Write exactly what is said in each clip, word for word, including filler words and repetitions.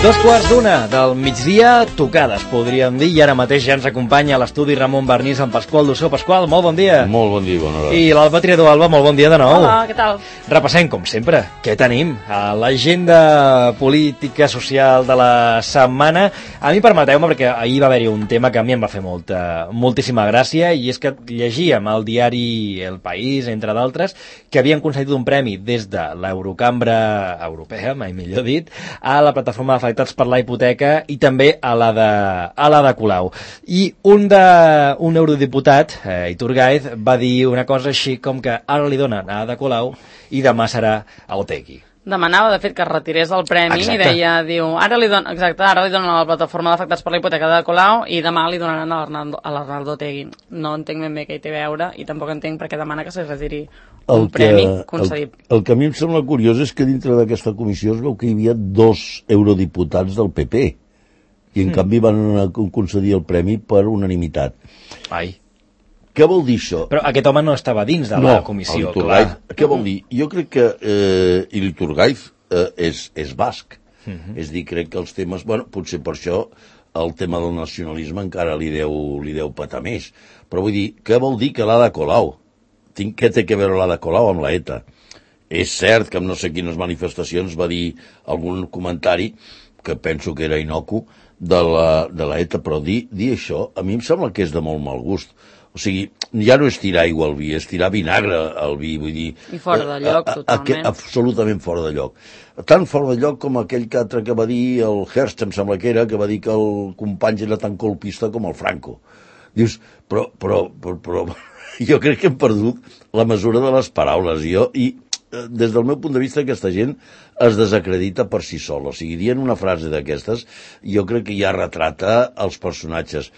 Dos quarts d'una del migdia, tocades, podríem dir, i ara mateix ja ens acompanya a l'estudi Ramon Barnís amb Pasqual Dussó. Pasqual, molt bon dia. Molt bon dia, bona hora. I l'Alba Triador. Alba, molt bon dia de nou. Hola, què tal? Repassem, com sempre, què tenim a l'agenda política social de la setmana. A mi permeteu-me, perquè ahir va haver-hi un tema que a mi em va fer molta, moltíssima gràcia, i és que llegíem al diari El País, entre d'altres, que havien concedit un premi des de l'Eurocambra europea, mai millor dit, a la plataforma d'afectats per la hipoteca i també a la de, a la de Colau. I un, de, un eurodiputat, eh, Iturgaiz, va dir una cosa així com que ara li donen a Ada Colau i demà serà a Otegi. Demanava, de fet, que es retirés el premi. Exacte. I deia, diu, ara li donen, exacte, ara li donen a la plataforma d'afectats per la hipoteca de Colau i demà li donaran a l'Arnaldo Otegi. No entenc ben bé què hi té a veure i tampoc entenc per què demana que se retiri un que, premi concedit. El, el que a mi em sembla curiós és que dintre d'aquesta comissió es veu que hi havia dos eurodiputats del P P i en mm. canvi van concedir el premi per unanimitat. Ai. Què vol dir això? Però aquest home no estava dins de no, la comissió, clar. Què vol dir? Jo crec que eh, l'Iturgaiz eh, és, és basc. Uh -huh. És dir, crec que els temes... Bueno, potser per això el tema del nacionalisme encara li deu, li deu patar més. Però vull dir, què vol dir que l'Ada Colau? Tinc, què té a veure l'Ada Colau amb la ETA? És cert que en no sé quines manifestacions va dir algun comentari, que penso que era inocu, de la, de la ETA, però dir, dir això a mi em sembla que és de molt mal gust. O sigui, ja no és tirar aigua al vi, és tirar vinagre al vi, vull dir... I fora de lloc, a, a, totalment. A, absolutament fora de lloc. Tan fora de lloc com aquell que altre que va dir, el Hearst, em sembla que era, que va dir que el company era tan colpista com el Franco. Dius, però, però, però, però jo crec que hem perdut la mesura de les paraules. Jo, i des del meu punt de vista, aquesta gent es desacredita per si sol. O sigui, dient una frase d'aquestes, jo crec que ja retrata els personatges.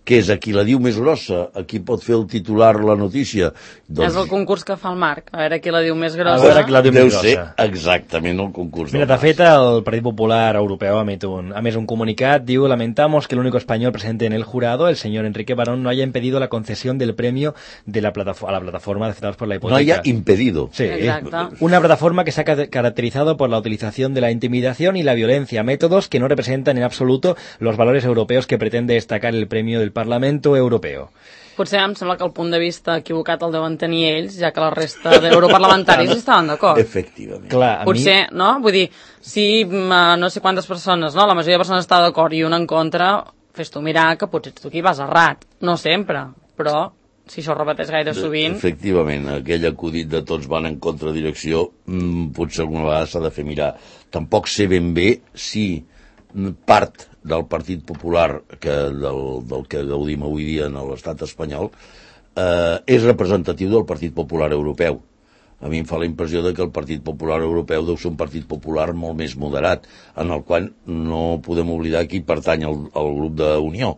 Què és, a qui la diu més grossa? A qui pot fer el titular la notícia? Doncs... És el concurs que fa el Marc, a veure qui la diu més grossa. A veure qui la diu Deu més grossa. ser exactament el concurs. Mira, de fet, el Partit Popular Europeu ha emès un, ha emès un comunicat, diu, lamentamos que el único español presente en el jurado, el señor Enrique Barón, no haya impedido la concesión del premio de la plataforma, a la plataforma de afectados por la hipoteca. No haya impedido. Sí. Exacto. Una plataforma que se ha caracterizado por la utilización de la intimidación y la violencia, métodos que no representan en absoluto los valores europeos que pretende destacar el premio del Parlamento Europeo. Potser em sembla que el punt de vista equivocat el deuen tenir ells, ja que la resta d'europarlamentaris estaven d'acord. Efectivament. Clar, a Potser, mi... no? Vull dir, si no sé quantes persones, no? La majoria de persones està d'acord i una en contra, fes tu mirar que potser tu aquí vas errat. No sempre, però si això repeteix gaire sovint... Efectivament, aquell acudit de tots van en contradirecció, mmm, potser alguna vegada s'ha de fer mirar. Tampoc sé ben bé si part del Partit Popular, que del, del que gaudim avui dia en l'estat espanyol, eh, és representatiu del Partit Popular Europeu. A mi em fa la impressió de que el Partit Popular Europeu deu ser un partit popular molt més moderat, en el qual no podem oblidar qui pertany al, al grup d'Unió.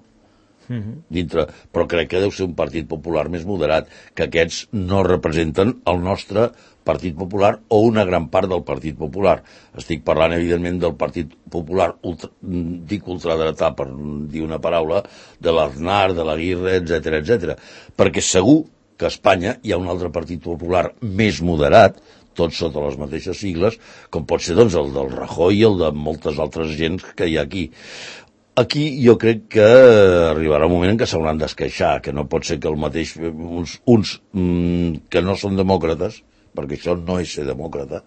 Dintre, però crec que deu ser un partit popular més moderat, que aquests no representen el nostre Partit Popular o una gran part del Partit Popular. Estic parlant, evidentment, del Partit Popular, ultra, dic ultradretà per dir una paraula, de l'Aznar, de l'Aguirre, etcètera, etcètera. Perquè segur que a Espanya hi ha un altre Partit Popular més moderat, tots sota les mateixes sigles, com pot ser doncs, el del Rajoy i el de moltes altres gens que hi ha aquí. Aquí jo crec que arribarà un moment en què s'hauran d'esqueixar, que no pot ser que el mateix, uns, uns mm, que no són demòcrates, perquè això no és ser demòcrata,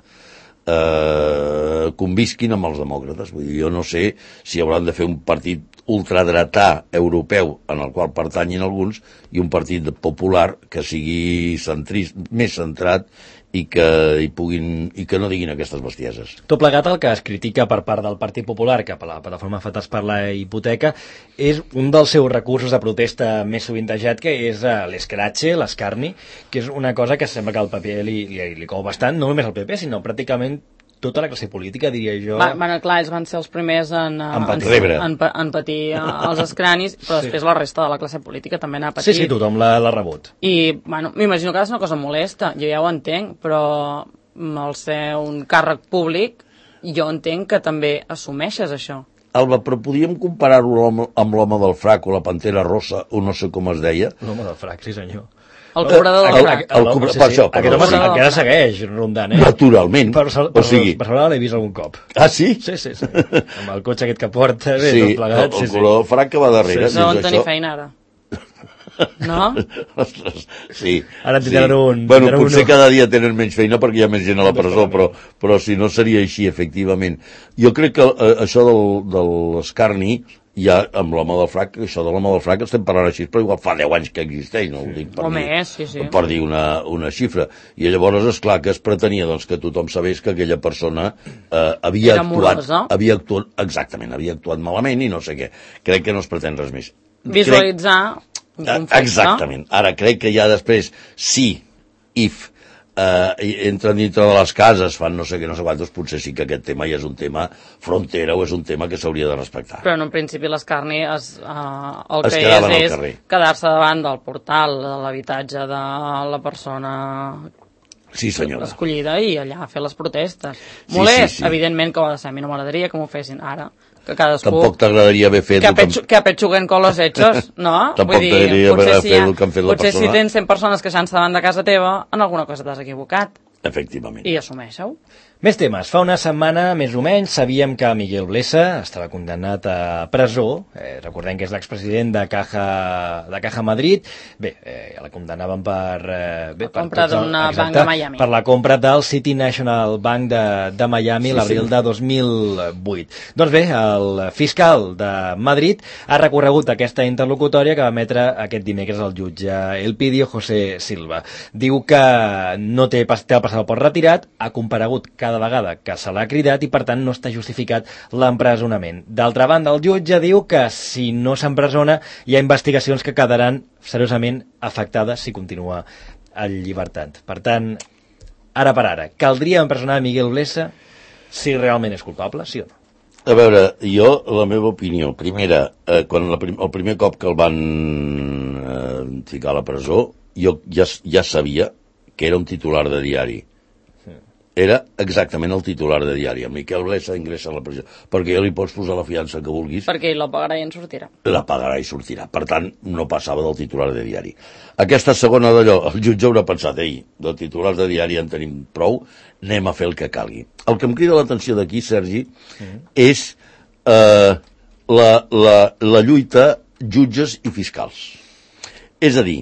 eh, convisquin amb els demòcrates. Vull dir, jo no sé si hauran de fer un partit ultradretà europeu en el qual pertanyin alguns i un partit popular que sigui centrist, més centrat i que, i, puguin, i que no diguin aquestes bestieses. Tot plegat, el que es critica per part del Partit Popular cap a la plataforma afectats per la hipoteca és un dels seus recursos de protesta més sovintejat, que és uh, l'escratxe, l'escarni, que és una cosa que sembla que al P P li, li, li cou bastant, no només al P P, sinó pràcticament tota la classe política, diria jo. Va, bueno, clar, ells van ser els primers en, en, patir. en, en, en patir els escranis, però sí. Després la resta de la classe política també n'ha patit. Sí, sí, tothom l'ha rebut. I, bueno, m'imagino que és una cosa molesta, jo ja ho entenc, però al ser un càrrec públic, jo entenc que també assumeixes això. Alba, però podíem comparar-ho amb l'home del frac o la pantera rosa, o no sé com es deia? L'home del frac, sí senyor. El cobrador del frac. El cobrador, per això. Aquest home encara segueix rondant, eh? Naturalment. Per Barcelona l'he vist algun cop. Ah, sí? Sí, sí, sí. Amb el cotxe aquest que porta, bé, tot plegat. Sí, el color del frac que va darrere. No on tenir feina ara. No? Ostres, sí. Ara en tindran un... Bueno, potser cada dia tenen menys feina perquè hi ha més gent a la presó, però, però si no seria així, efectivament. Jo crec que eh, això del, de l'escarni, ja amb l'home del frac, això de l'home del frac estem parlant així, però igual fa deu anys que existeix, no ho dic per, o dir, més, sí, sí. per dir una, una xifra. I llavors, esclar, que es pretenia doncs, que tothom sabés que aquella persona eh, havia Era actuat... morosa. Havia actuat, exactament, havia actuat malament i no sé què. Crec que no es pretén res més. Visualitzar... Crec, exactament. Ara crec que ja després, sí, if eh, entren dintre de les cases, fan no sé què, no sé quantos, potser sí que aquest tema ja és un tema frontera o és un tema que s'hauria de respectar. Però en un principi l'escarni es, uh, el es que és és carrer. quedar-se davant del portal de l'habitatge de la persona sí, senyora. escollida i allà fer les protestes. Sí, Molest, sí, sí. evidentment que ho ha de ser. A mi no m'agradaria que m'ho fessin ara. Que cadascú... Tampoc t'agradaria haver fet... Que, apetxu, que apetxuguen con los hechos, no? Tampoc t'agradaria haver fet el que han fet la persona. Potser si tens cent persones queixant-se davant de casa teva, en alguna cosa t'has equivocat. Efectivament. I assumeixo. Més temes. Fa una setmana, més o menys, sabíem que Miguel Blesa estava condemnat a presó. Eh, recordem que és l'expresident de Caja, de Caja Madrid. Bé, eh, la condemnaven per... Eh, bé, la compra d'una banc de Miami. Per la compra del City National Bank de, de Miami sí, l'abril sí. de dos mil vuit. Doncs bé, el fiscal de Madrid ha recorregut aquesta interlocutòria que va emetre aquest dimecres el jutge Elpidio José Silva. Diu que no té, té el passaport retirat, ha comparegut cada vegada que se l'ha cridat i per tant no està justificat l'empresonament. D'altra banda, el jutge diu que si no s'empresona hi ha investigacions que quedaran seriosament afectades si continua en llibertat. Per tant, ara per ara, caldria empresonar Miguel Blesa si realment és culpable, sí o no? A veure, jo, la meva opinió, primera, eh, quan la prim, el primer cop que el van eh, ficar a la presó, jo ja, ja sabia que era un titular de diari. Era exactament el titular de diari. El Miquel Blesa ingressa a la presó. Perquè ja li pots posar la fiança que vulguis. Perquè ell la pagarà i en sortirà. La pagarà i sortirà. Per tant, no passava del titular de diari. Aquesta segona d'allò, el jutge haurà pensat, ei, de titulars de diari en tenim prou, anem a fer el que calgui. El que em crida l'atenció d'aquí, Sergi, mm. és eh, la, la, la lluita jutges i fiscals. És a dir,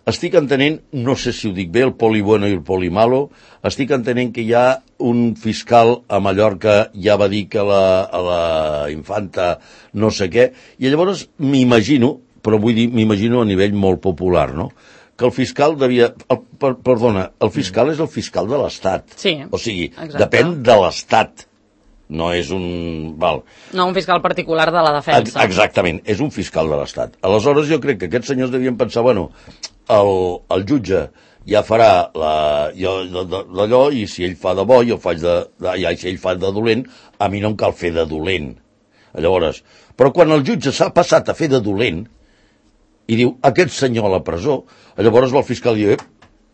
estic entenent, no sé si ho dic bé, el poli bueno i el poli malo, estic entenent que hi ha un fiscal a Mallorca ja va dir que la, a la infanta no sé què, i llavors m'imagino, però vull dir, m'imagino a nivell molt popular, no?, que el fiscal devia... El, per, perdona, el fiscal mm. és el fiscal de l'Estat. Sí, o sigui, exacte. Depèn de l'Estat. No és un... Val. No un fiscal particular de la defensa. Exactament, és un fiscal de l'Estat. Aleshores jo crec que aquests senyors devien pensar, bueno, el, el jutge ja farà d'allò i si ell fa de bo, jo faig de... de ja, si ell fa de dolent, a mi no em cal fer de dolent. Llavors, però quan el jutge s'ha passat a fer de dolent i diu, aquest senyor a la presó, llavors el fiscal diu,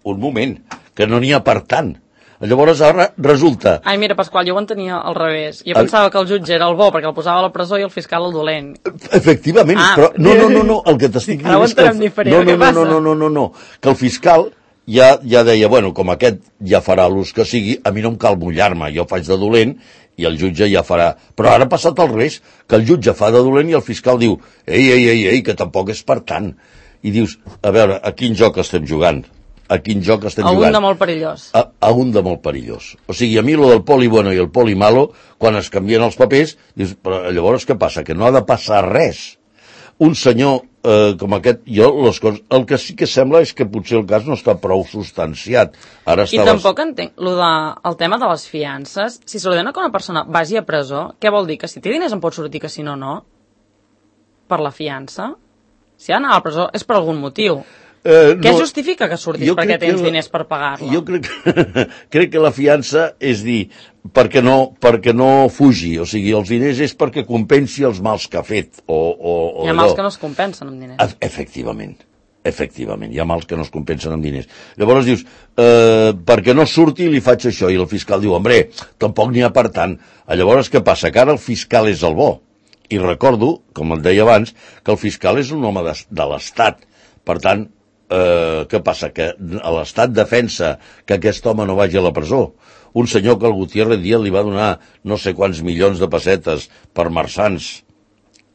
un moment, que no n'hi ha per tant. Llavors ara resulta... Ai, mira, Pasqual, jo ho entenia al revés. Jo pensava que el jutge era el bo perquè el posava a la presó i el fiscal el dolent. Efectivament, ah, però no, no, no, no, el que t'estic dient és que... El... No, no, no, no, no, no, no, no, que el fiscal ja, ja deia, bueno, com aquest ja farà l'ús que sigui, a mi no em cal mullar-me, jo faig de dolent i el jutge ja farà... Però ara ha passat al revés, que el jutge fa de dolent i el fiscal diu, ei, ei, ei, ei, que tampoc és per tant. I dius, a veure, a quin joc estem jugant? A quin joc estem a jugant? A un de molt perillós. A, a un de molt perillós. O sigui, a mi lo del poli bueno i el poli malo, quan es canvien els papers, dius, però llavors què passa? Que no ha de passar res. Un senyor eh, com aquest, jo les coses, el que sí que sembla és que potser el cas no està prou substanciat. Ara I estaves... tampoc entenc lo de, el tema de les fiances. Si s'ordena que una persona vagi a presó, què vol dir? Que si té diners en pot sortir, que si no, no? Per la fiança? Si ha d'anar a la presó és per algun motiu. Eh, Què no, justifica que surtis perquè tens la, diners per pagar-la? Jo crec que, crec que la fiança és dir, perquè no, perquè no fugi, o sigui, els diners és perquè compensi els mals que ha fet. O, o, o hi ha mals que no es compensen amb diners. Efectivament, efectivament, hi ha mals que no es compensen amb diners. Llavors dius, eh, perquè no surti li faig això, i el fiscal diu, hombre, tampoc n'hi ha per tant. Llavors què passa? Que ara el fiscal és el bo. I recordo, com et deia abans, que el fiscal és un home de, de l'Estat. Per tant, eh, què passa? Que l'Estat defensa que aquest home no vagi a la presó. Un senyor que el Gutiérrez Díaz li va donar no sé quants milions de pessetes per marçans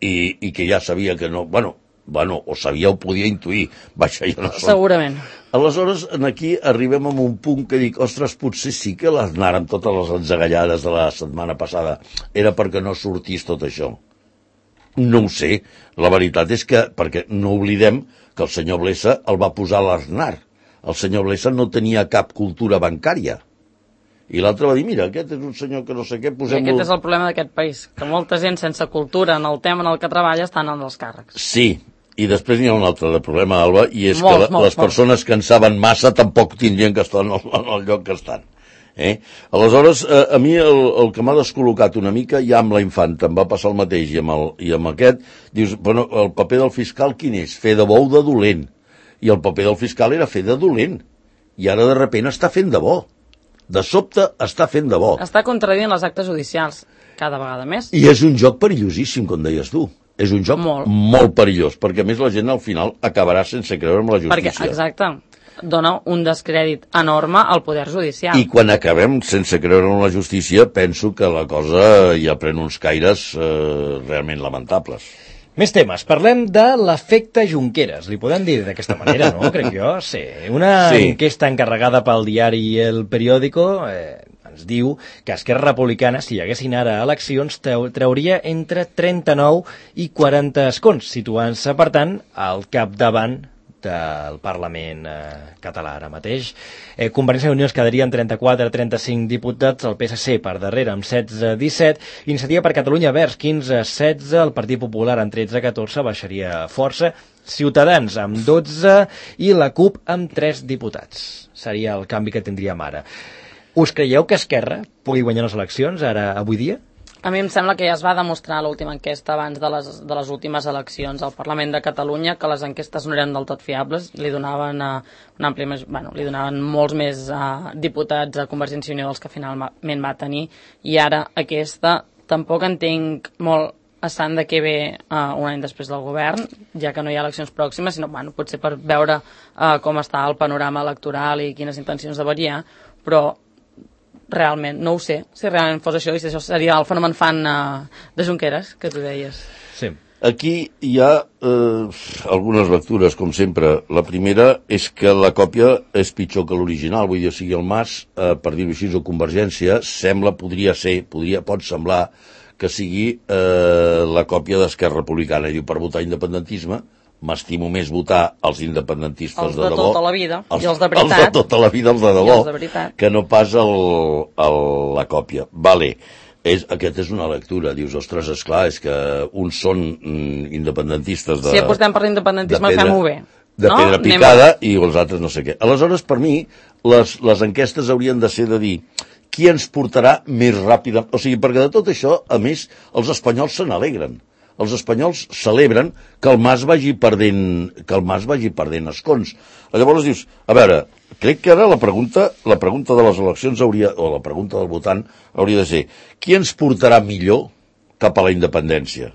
i, i que ja sabia que no... Bueno, bueno, o sabia o podia intuir. Vaja, jo no som... Segurament. Aleshores, aquí arribem a un punt que dic, ostres, potser sí que les anàrem totes les enzagallades de la setmana passada. Era perquè no sortís tot això. No ho sé. La veritat és que, perquè no oblidem que el senyor Blesa el va posar a l'Aznar. El senyor Blesa no tenia cap cultura bancària. I l'altre va dir, mira, aquest és un senyor que no sé què, posem-lo... I aquest és el problema d'aquest país, que molta gent sense cultura en el tema en el que treballa estan en els càrrecs. Sí, i després n'hi ha un altre problema, Alba, i és molts, que la, molts, les persones molts. que en saben massa tampoc tindrien que estar en el, en el lloc que estan. Eh? Aleshores, eh, a mi el, el que m'ha descol·locat una mica, ja amb la infanta, em va passar el mateix, i amb, el, i amb aquest, dius, bueno, el paper del fiscal quin és? Fer de bo o de dolent? I el paper del fiscal era fer de dolent, i ara de repent està fent de bo. De sobte està fent de bo. Està contradient les actes judicials, cada vegada més. I és un joc perillosíssim, com deies tu. És un joc molt, molt perillós, perquè a més la gent al final acabarà sense creure en la justícia. Perquè, exacte, dona un descrèdit enorme al poder judicial. I quan acabem sense creure en la justícia, penso que la cosa ja pren uns caires eh, realment lamentables. Més temes. Parlem de l'efecte Junqueras. Li podem dir d'aquesta manera, no? Crec jo. Sí. Una sí. enquesta encarregada pel diari El Periódico eh, ens diu que Esquerra Republicana, si hi haguessin ara eleccions, trauria entre trenta-nou i quaranta escons, situant-se, per tant, al capdavant del Parlament eh, català ara mateix. Eh, Convergència i Unió es quedaria amb trenta-quatre a trenta-cinc diputats, el P S C per darrere amb setze a disset, Iniciativa per Catalunya Verds quinze a setze, el Partit Popular amb tretze a catorze baixaria força, Ciutadans amb dotze i la CUP amb tres diputats. Seria el canvi que tindríem ara. Us creieu que Esquerra pugui guanyar les eleccions ara avui dia? A mi em sembla que ja es va demostrar a l'última enquesta abans de les, de les últimes eleccions al Parlament de Catalunya que les enquestes no eren del tot fiables, li donaven, uh, un ampli més, bueno, li donaven molts més uh, diputats a Convergència i Unió dels que finalment va tenir, i ara aquesta tampoc entenc molt a sant de què ve uh, un any després del govern, ja que no hi ha eleccions pròximes, sinó bueno, potser per veure uh, com està el panorama electoral i quines intencions de variar, però realment, no ho sé, si realment fos això, i si això seria el fenomen fan uh, de Junqueras, que tu deies. Sí. Aquí hi ha eh, algunes lectures, com sempre. La primera és que la còpia és pitjor que l'original, vull dir, o sigui, el Mas, eh, per dir-ho així, o Convergència, sembla, podria ser, podria, pot semblar que sigui eh, la còpia d'Esquerra Republicana. I diu, per votar independentisme, m'estimo més votar els independentistes els de, de debò, tota la vida, els, i els de veritat, els de tota la vida, els de debò, els de que no pas el, el, la còpia. Vale, és, aquest és una lectura, dius, ostres, esclar, és que uns són mm, independentistes de... Si apostem per l'independentisme, fem-ho bé. De no? pedra picada a... i els altres no sé què. Aleshores, per mi, les, les enquestes haurien de ser de dir qui ens portarà més ràpida... O sigui, perquè de tot això, a més, els espanyols se n'alegren. Els espanyols celebren que el Mas vagi perdent, que el Mas vagi perdent escons. Llavors dius, a veure, crec que ara la pregunta, la pregunta de les eleccions hauria, o la pregunta del votant hauria de ser, qui ens portarà millor cap a la independència?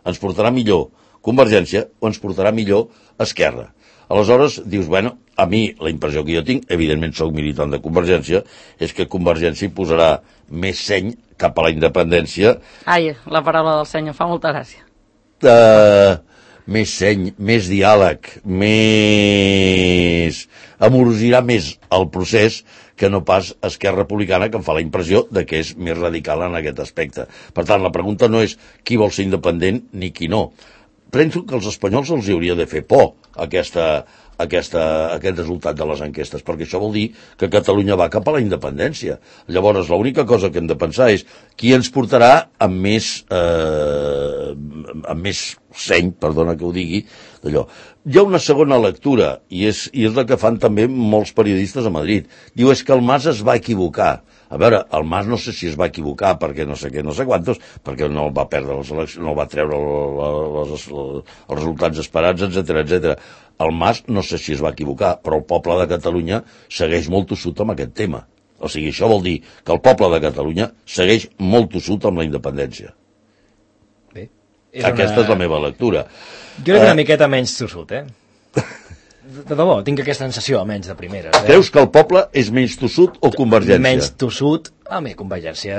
Ens portarà millor Convergència o ens portarà millor Esquerra? Aleshores, dius, bueno, a mi la impressió que jo tinc, evidentment soc militant de Convergència, és que Convergència hi posarà més seny cap a la independència. Ai, la paraula del senyor fa molta gràcia. Uh, més seny, més diàleg, més... amorosirà més el procés que no pas Esquerra Republicana, que em fa la impressió de que és més radical en aquest aspecte. Per tant, la pregunta no és qui vol ser independent ni qui no. Penso que als espanyols els hauria de fer por aquesta, aquesta, aquest resultat de les enquestes, perquè això vol dir que Catalunya va cap a la independència. Llavors, l'única cosa que hem de pensar és qui ens portarà amb més, eh, amb més seny, perdona que ho digui, d'allò. Hi ha una segona lectura, i és, i és la que fan també molts periodistes a Madrid. Diu, és que el Mas es va equivocar. A veure, el Mas no sé si es va equivocar perquè no sé què, no sé quantos, perquè no va perdre les eleccions, no va treure les, les, els resultats esperats, etcètera, etcètera. El Mas no sé si es va equivocar, però el poble de Catalunya segueix molt tossut amb aquest tema. O sigui, això vol dir que el poble de Catalunya segueix molt tossut amb la independència. Bé, és Aquesta una... és la meva lectura. Jo crec que una miqueta menys tossut, eh? de debò, tinc aquesta sensació, almenys de primeres. Eh? Creus que el poble és menys tossut o Convergència? Menys tossut, a mi, Convergència,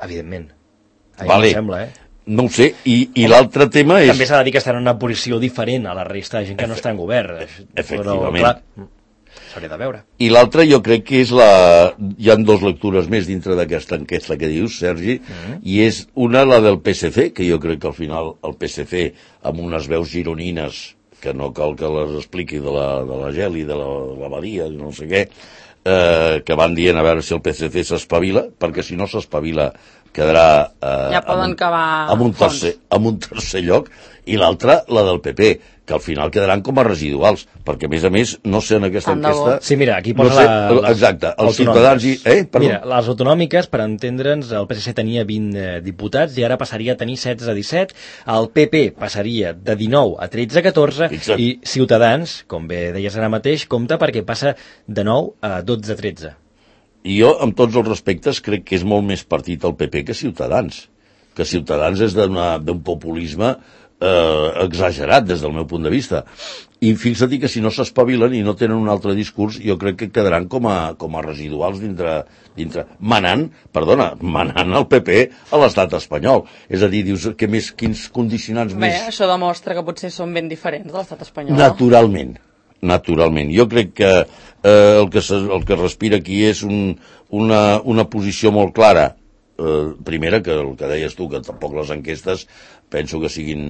evidentment. A mi vale. em sembla, eh? No ho sé, i, i l'altre tema és... També s'ha de dir que estan en una posició diferent a la resta de gent que no està en govern. Efectivament. Però, clar, s'hauria de veure. I l'altre jo crec que és la... Hi ha dues lectures més dintre d'aquesta enquesta que dius, Sergi, mm-hmm. i és una, la del P S C, que jo crec que al final el P S C, amb unes veus gironines, que no cal que les expliqui de la, de la Geli, de la, la Badia, no sé què, eh, que van dient a veure si el P S C s'espavila, perquè si no s'espavila quedarà eh, ja poden amb, acabar amb, un tercer, amb un tercer lloc, i l'altra, la del P P, que al final quedaran com a residuals, perquè a més a més, no sé en aquesta enquesta... Sí, mira, aquí posa no sé, la, les exacte, els ciutadans i... Eh, mira, les autonòmiques, per entendre'ns, el P S C tenia vint eh, diputats i ara passaria a tenir setze a disset, el P P passaria de dinou a tretze a catorze, Exacte. i Ciutadans, com bé deies ara mateix, compta perquè passa de nou a dotze a tretze. I jo, amb tots els respectes, crec que és molt més partit el P P que Ciutadans. Que Ciutadans és d'un populisme eh, exagerat, des del meu punt de vista. I fixa't que si no s'espavilen i no tenen un altre discurs, jo crec que quedaran com a, com a residuals dintre, dintre... Manant, perdona, manant el P P a l'estat espanyol. És a dir, dius, que més, quins condicionants Bé, més... això demostra que potser són ben diferents de l'estat espanyol. Naturalment. Naturalment. Jo crec que eh, el, que se, el que respira aquí és un, una, una posició molt clara. Eh, primera, que el que deies tu, que tampoc les enquestes penso que siguin...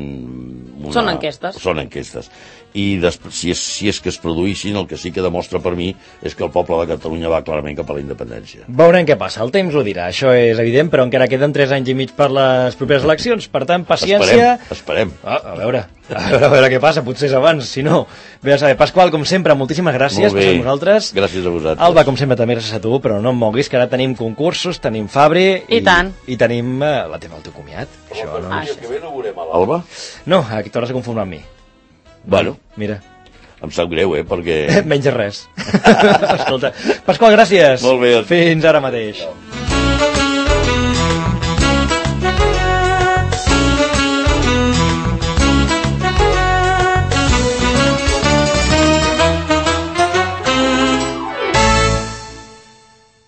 Una... Són enquestes. Són enquestes. I després, si, és, si és que es produïssin, el que sí que demostra per mi és que el poble de Catalunya va clarament cap a la independència. Veurem què passa, el temps ho dirà, això és evident, però encara queden tres anys i mig per les properes eleccions, per tant, paciència... Esperem, esperem. Ah, a veure, a veure, a veure què passa, potser és abans, si no... Bé a saber, Pasqual, com sempre, moltíssimes gràcies per ser amb nosaltres. Gràcies a vosaltres. Alba, com sempre, també gràcies a tu, però no em moguis, que ara tenim concursos, tenim Fabri... I, I tant. I tenim uh, la teva, el teu comiat. Home, això, no, no... el que ve no veurem a l'Alba? No, aquí t'hauràs de conformar amb mi. Bueno. Mira. Em sap greu, eh, perquè... Menys res. Escolta, Pasqual, gràcies. Molt bé. Fins ara mateix. No.